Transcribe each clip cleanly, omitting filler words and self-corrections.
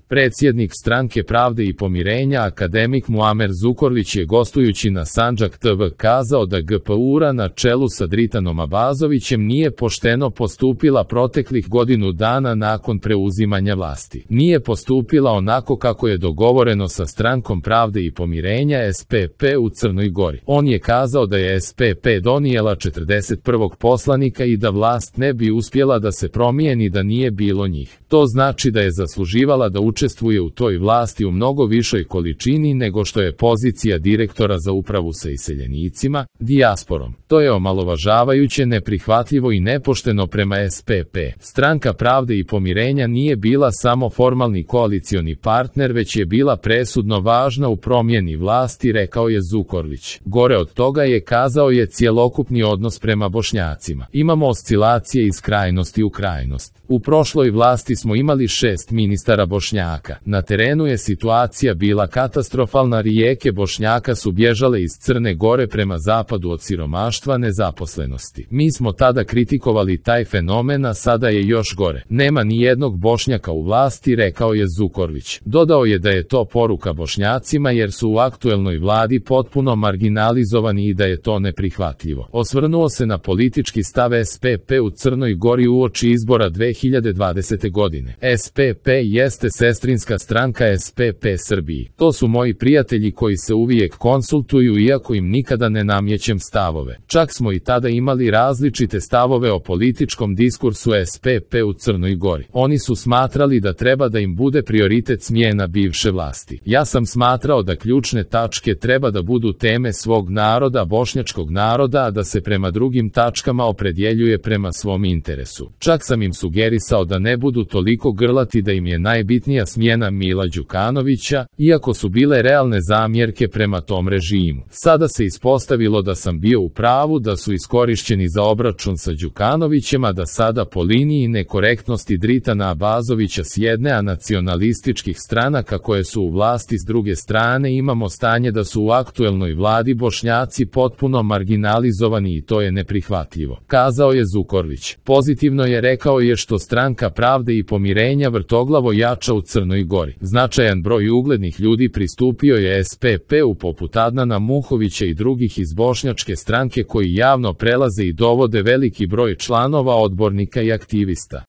Predsjednik Stranke pravde i pomirenja akademik Muamer Zukorlić je gostujući na Sandžak TV kazao da GPU-ra na čelu sa Dritanom Abazovićem nije pošteno postupila proteklih godinu dana nakon preuzimanja vlasti. Nije postupila onako kako je dogovoreno sa Strankom pravde i pomirenja SPP u Crnoj Gori. On je kazao da je SPP donijela 41. poslanika i da vlast ne bi uspjela da se promijeni da nije bilo njih. To znači da je zasluživala da učestvuje u toj vlasti u mnogo višoj količini nego što je pozicija direktora za upravu sa iseljenicima, dijasporom. To je omalovažavajuće, neprihvatljivo i nepošteno prema SPP. Stranka pravde i pomirenja nije bila samo formalni koalicioni partner, već je bila presudno važna u promjeni vlasti, rekao je Zukorlić. Gore od toga je, kazao je, cjelokupni odnos prema Bošnjacima. Imamo oscilacije iz krajnosti u krajnost. U prošloj vlasti smo imali 6 ministara Bošnjaka. Na terenu je situacija bila katastrofalna, rijeke Bošnjaka su bježale iz Crne Gore prema zapadu od siromaštva, nezaposlenosti. Mi smo tada kritikovali taj fenomen, a sada je još gore. Nema ni jednog Bošnjaka u vlasti, rekao je Zukorlić. Dodao je da je to poruka Bošnjacima jer su u aktuelnoj vladi potpuno marginalizovani i da je to neprihvatljivo. Osvrnuo se na politički stav SPP u Crnoj Gori uoči izbora 2020. godine. SPP jeste sestrinska stranka SPP Srbiji. To su moji prijatelji koji se uvijek konsultuju iako im nikada ne namjećem stavove. Čak smo i tada imali različite stavove o političkom diskursu SPP u Crnoj Gori. Oni su smatrali da treba da im bude prioritet smjena bivše vlasti. Ja sam smatrao da ključne tačke treba da budu teme svog naroda, bošnjačkog naroda, a da se prema drugim tačkama opredjeljuje prema svom interesu. Čak sam im sugerisao da ne budu toliko grlati da im je najbitnija smjena Mila Đukanovića, iako su bile realne zamjerke prema tom režimu. Sada se ispostavilo da sam bio u pravu, da su iskorišćeni za obračun sa Đukanovićem, a da sada po liniji nekorektnosti Dritana Abazovića s jedne, a nacionalističkih stranaka koje su u vlasti s druge strane, imamo stanje da su u aktuelnoj vladi Bošnjaci potpuno marginalizovani i to je neprihvatljivo, kazao je Zukorlić. Pozitivno je, rekao je, što Stranka pravde i pomirenja vrtoglavo jača u Crnoj Gori. Značajan broj uglednih ljudi pristupio je SPP-u poput Adnana Muhovića i drugih iz bošnjačke stranke koji javno prelaze i dovode veliki broj članova, odbornika i aktivista.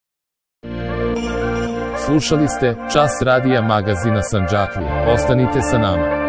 Slušali ste Čas radija magazina Sandžaklija. Ostanite sa nama.